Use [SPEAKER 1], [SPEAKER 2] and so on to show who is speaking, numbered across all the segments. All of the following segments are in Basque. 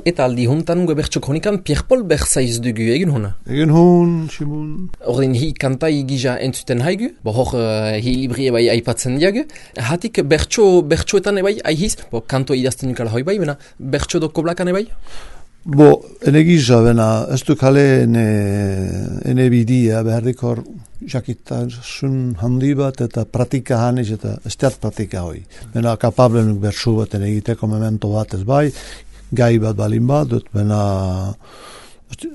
[SPEAKER 1] Eta aldi huntan gue bertso kronikan Pierre-Paul Berzaiz dugu egin hona.
[SPEAKER 2] Egin hon, Simon.
[SPEAKER 1] Ordin hi kantai gija entzuten haigu, hor hi libri ebai aipatzen diagu. Hatik bertsoetan ebai aihiz, kanto idazten dukala hoi bai, bena bertso doko blakan ebai?
[SPEAKER 2] Ene gija, bena, ez du kale ene bidia, behardikor jakitasun handi bat eta pratika haniz eta ez teat pratika hoi. Bena kapable nuk bertso bat ene egiteko memento bat ez bai, gai bat balin bat, dut bena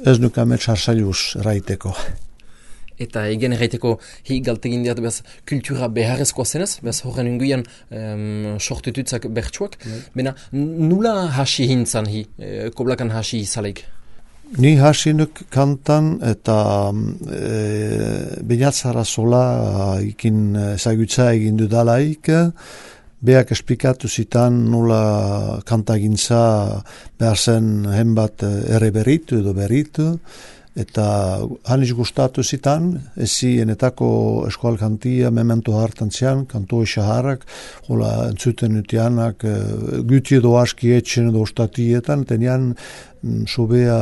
[SPEAKER 2] ez nuk amet sarsailuz raiteko.
[SPEAKER 1] Eta egen erraiteko hi galtegin diat bez kultura beharrezkoa zenez, bez horren unguian sortututzak bertsuak. Bena nula hasi hintzan hi, koblakan hasi izaleik?
[SPEAKER 2] Ni hasi nuk kantan eta Beñatzara sola ikin ezagutza egin dudalaik, beak esplikatu zitan nula kantagintza behar zen henbat ere berritu edo berritu, eta haniz gustatu zitan, ezi enetako eskoal kantia memento hartan zian, kanto esaharrak, hola entzuten utianak, guti edo aski etxen edo ostatietan, tenian sobea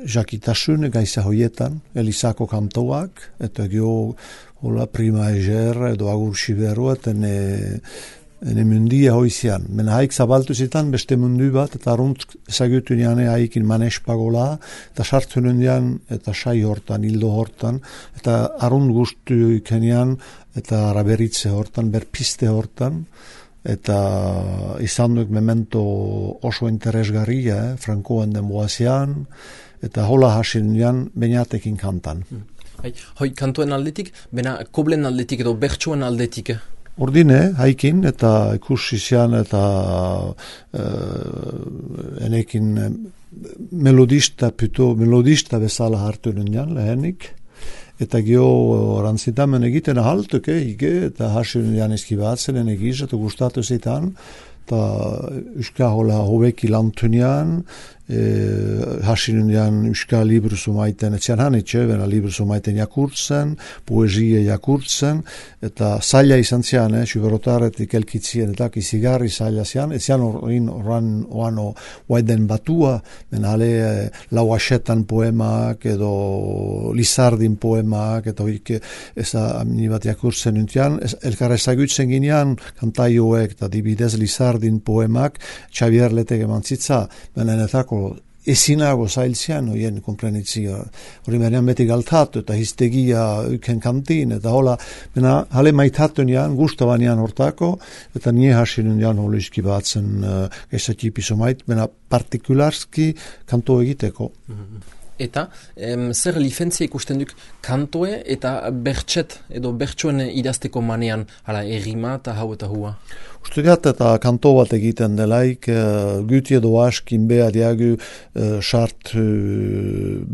[SPEAKER 2] jakitasun gaisa hoietan, Elisako kantoak, eta gio hola prima eger edo agur siberuat ene mundia hoizian. Mena haik zabaltu zitan beste mundu bat, eta arunt ezagutu nian haikin manes pagola, eta sartu nian eta sai hortan, hildo hortan, eta arunt guztu ikenian, eta araberitze hortan, berpiste hortan, eta izan duk memento oso interesgarria, Frankoen demoazian, eta hola hasin nian Beñatekin kantan.
[SPEAKER 1] Hoi kantoen aldetik, bena koblen aldetik edo bertsoen aldetik?
[SPEAKER 2] Ordine, haikin, eta ikusi zian, eta enekin melodista bezala hartu nian lehenik, eta gio rantzitamen egiten ahaltuk eta hasi nian eskibatzen enegiz, eta gustatu zitan, eta uska hola hobeki lantunian, hasinunian uska libru sumaiten etzian hanitxe, bena libru sumaiten jakurtzen, poesie jakurtzen, eta zaila izan zian, suberotaretik elkitzien, eta izigarri zaila zian, etzian horran oano waiden batua, bena ale lauaxetan poemak, edo Lizardin poemak, eta hoik eza amini bat jakurtzen nuntian, elkar ezagutzen ginean, kantaioek, eta dibidez Lizardin poemak, Xavier Letege mantzitza, bena enetako ezinago zailtzean, oien komprenitzia, hori menean beti galtatu, eta histegia uken kantin, eta hola, bena hale maitatu nian, gustabanean hortako, eta nie hasin nian holiski batzen gezatipiso mait, bena partikularski kanto egiteko.
[SPEAKER 1] Eta zer lifentzia ikusten duk kantoe eta bertset edo bertsoen idazteko manean, hala errima eta hau eta hua?
[SPEAKER 2] Ustegat eta kanto bat egiten delaik, guti edo askin beha diagu sart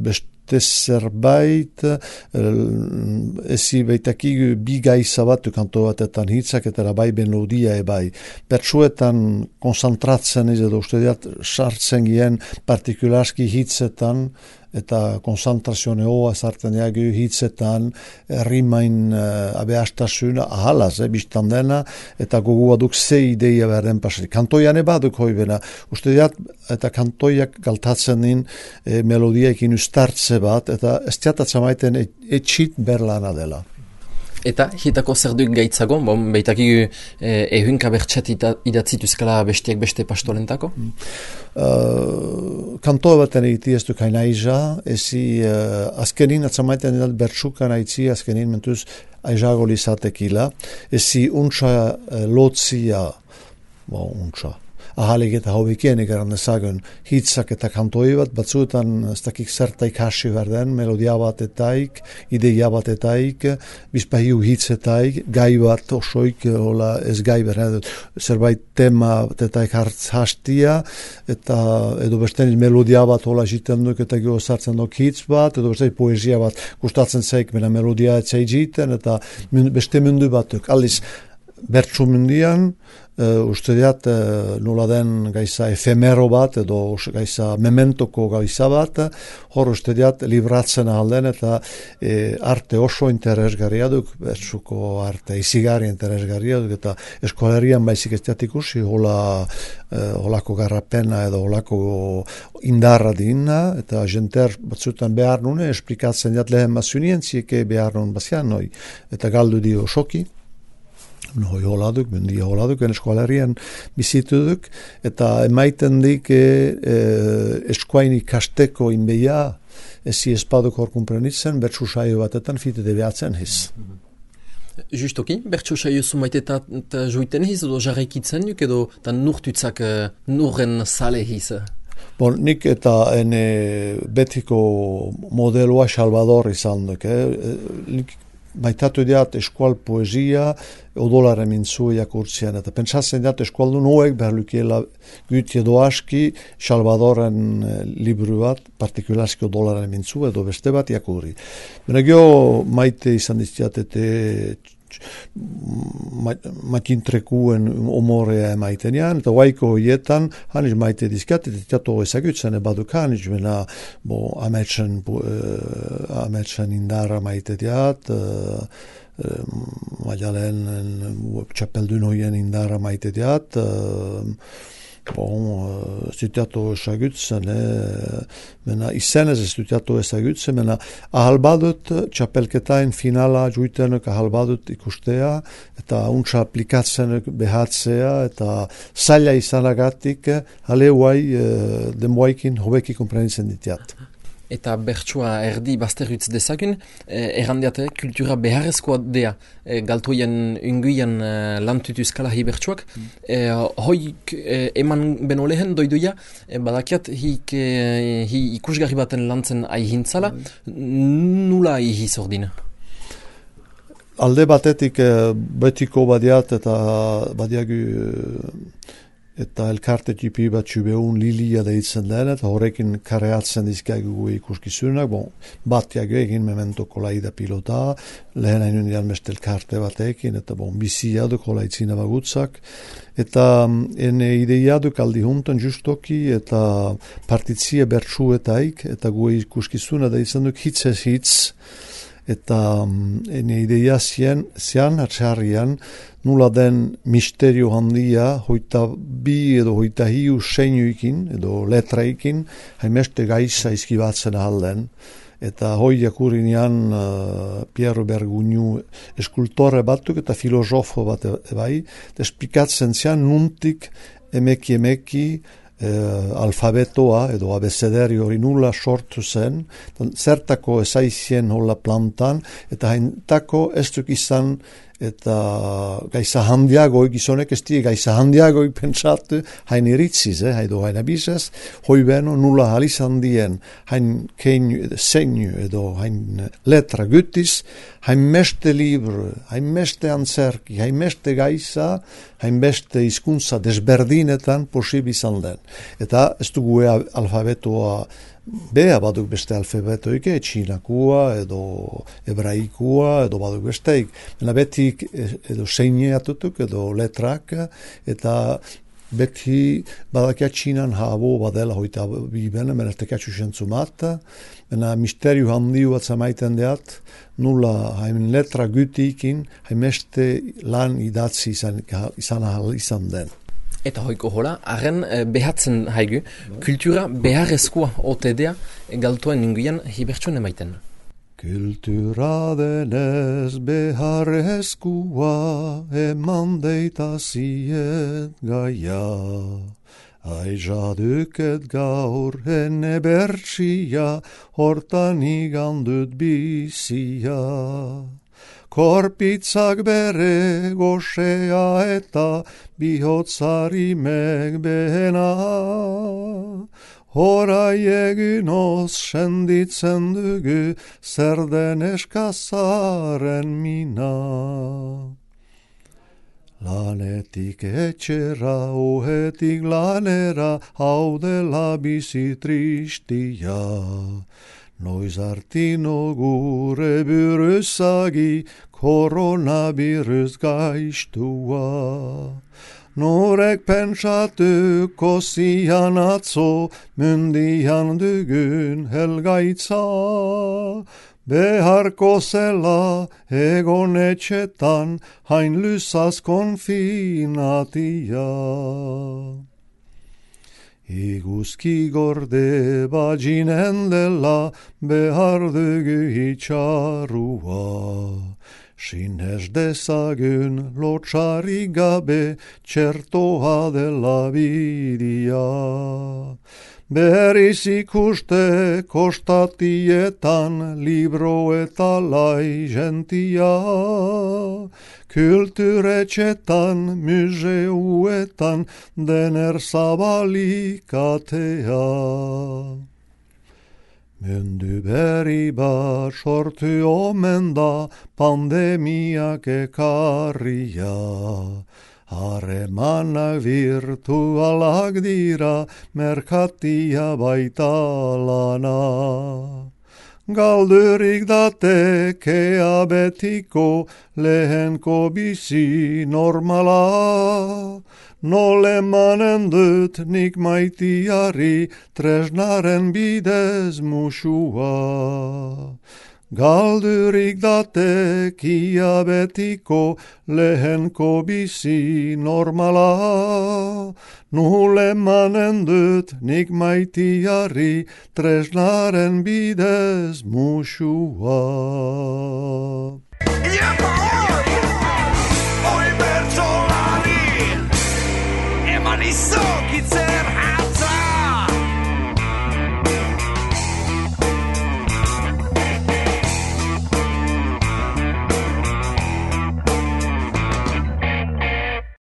[SPEAKER 2] beste zerbait, ezi beitakigu bi gaiza bat kanto batetan hitzak eta bai melodia ebai. Bertsuetan konzentratzen ez edo ustegat sartzen gien partikularski hitzetan, eta konzentrazione hoa sartzen diagu hitzetan, rimain abeastasuna, ahalaz, biztan dena, eta gogua duk ze ideia berden pasari. Kantoian baduk hoi bena, uste diat, eta kantoiak galtatzen din melodiaikin ustartze bat, eta ez diatatzen maiten etxit berlana dela.
[SPEAKER 1] Eta hitako zer duk gaitzago, behitakigu ehunka bertset idatzituzkala bestiak beste pastolentako?
[SPEAKER 2] Kantoa baten egiti ez duk haina iza, ezi azkenin atzamaiten edat bertsukan haitzi azkenin mentuz aizago lizatekila, ezi untsa lotzia, untsa, ahalik eta hobikien egeran ezagun hitzak eta kantoi bat, batzuetan ez dakik zertaik hasi berden, melodia bat etaik, ideia bat etaik, bizpahiu hitzetaik, gai bat osoik, hola ez gai berden, zerbait tema etaik hastia, eta edo besteniz melodia bat hola jiten duk, eta gero sartzen duk hitz bat, edo beste poesia bat gustatzen zaik, mena melodia etzai jiten, eta beste mundu batuk, aliz, bertsu mundian, uste diat nola den gaiza efemero bat edo gaiza mementoko gaiza bat, hor uste diat libratzen alden eta arte oso interesgarria duk, bertsuko arte izigarri interesgarria duk, eta eskolerian baizik ez diat ikusi holako garrapena edo holako indarra dina, eta jenter batzutan behar nune, esplikatzen diat lehen mazunien zieke behar nun bazian noi, eta galdu di osoki. Noi holaduk, mendia holaduk, eskualerian bizitu duk, eta emaiten dik eskuain ikasteko inbeia, ezi espaduk hor kumprenitzen, bertsu saio batetan fitete behatzen hiz.
[SPEAKER 1] Justoki, bertsu saio zumaitetat joiten hiz, edo jarraikitzen duk, edo nurtutzak nurren sale hiz?
[SPEAKER 2] Bon, nik eta betiko modeloa Salvador izan duk, nik baitatu diat eskual poesia odolaren mintzu jakurtzian, eta pentsatzen diat eskualdu noek behar lukiela gütie doaski Salvadoren liburu bat, partikularski odolaren mintzu edo beste bat jakurri. Bena gio maite izan diztiat matintrekuen omorea emaitenean, eta waiko hoietan haniz maite dizkiat, eta teato ezagutzen baduk haniz, bena ametsen indarra maite diat, maialen txapeldun hoien indarra maite diat, zutiatu ezagutzen, izenez ez zutiatu ezagutzen, ahal badut txapelketain finala juitenek ahal badut ikustea, eta untsa aplikatzen behatzea, eta zaila izanagatik, hale huai denboaikin hobeki komprenitzen ditiat.
[SPEAKER 1] Eta bertsua erdi bazterritz dezagun, errandiate kultura beharrezkoa dea galtoien unguian lantutuz kalahi bertsuak. Hoik eman beno lehen doiduia, badakiat hi ikusgarri baten lantzen aihintzala, nula ihi zordin?
[SPEAKER 2] Alde batetik betiko badiat eta badiagu eta elkarte tipi bat behun lilia deitzen den, eta horrekin kareatzen dizkiagu ikuskizunak, batiak egin mementoko laida pilota, lehen hainun dian beste elkarte batekin, eta bizia duk holaitzina bagutzak, eta ene ideia duk aldi juntan justoki, eta partitzie bertsuetaik, eta gu ikuskizuna deitzen duk hitzez hitz, eta ene ideia zian atxarrian, nula den misterio handia, hoita bi edo hoita hiu seinuikin, edo letraikin, haimeste gaisa izkibatzen ahalden. Eta hoi jakurinean Piero Bergugnu eskultore batuk eta filosofo bat bai, esplikatzen zian nuntik emeki alfabetoa edo abecederi hori nula sortu zen, zertako ezaizien hola plantan, eta haintako ez duk izan eta gaisa handiagoik gizonek ez die gaisa handiagoik pentsatu hain iritziz, haido hain abizez, hoi beno nula halizan dien hain keinu seinu edo hain letra gütiz, hain meste libru, hain meste antzerki, hain meste gaisa, hain beste hizkuntza desberdinetan posib izan den. Eta ez dugu alfabetoa bea baduk beste alfabetoik, txinakua edo hebraikua edo baduk besteik. Baina betik edo seineatutuk edo letrak, eta beti badakia txinan habo badela hoita bibena, mena tekatxu sentzumat, mena misteriu handiu bat zamaiten deat, nula hain letra gütiikin, hain meste lan idatzi izan den.
[SPEAKER 1] Eta hoiko hola, arren behatzen haigu, kultura beharrezkoa otedea galtoen inguian hibertsuan emaiten.
[SPEAKER 2] Kultura denez beharrezkoa eman deitaziet gaia. Aizaduket gaur ene bertsia, hortan igandut bizia. Korpitzak bere goxea eta bihotzari megbehena. Horai egin oz senditzen dugu zer den eskazaren mina. Lanetik etxera, ohetik lanera, hau dela bizi tristia. Noiz artino gure buruzagi, Koronavirus gaistua. Norek pentsatuko zian atzo, mundian dugun helgaitza. Beharko zela egon etxetan, hain luzaz konfinatia. Iguzki gorde baginen dela, behar dugu itxarua. Sinez dezagun lotxari gabe, txertoa dela bidia. Berriz ikuste kostatietan, libro eta lai gentia. Kulturetxetan, museuetan, dener zabalik atea. Mundu berri bat sortu omen da, pandemiak ekarria. Harremanak virtualak dira, merkatia baita lana. Galdurik datekea betiko, lehenko bizi normala. Nole manen dut nik maitiari, tresnaren bidez musua. Galdurik datekia betiko, lehenko bizi normala. Nole manen dut nik maitiari, tresnaren bidez musua.
[SPEAKER 3] Oi bertsolari, eman izan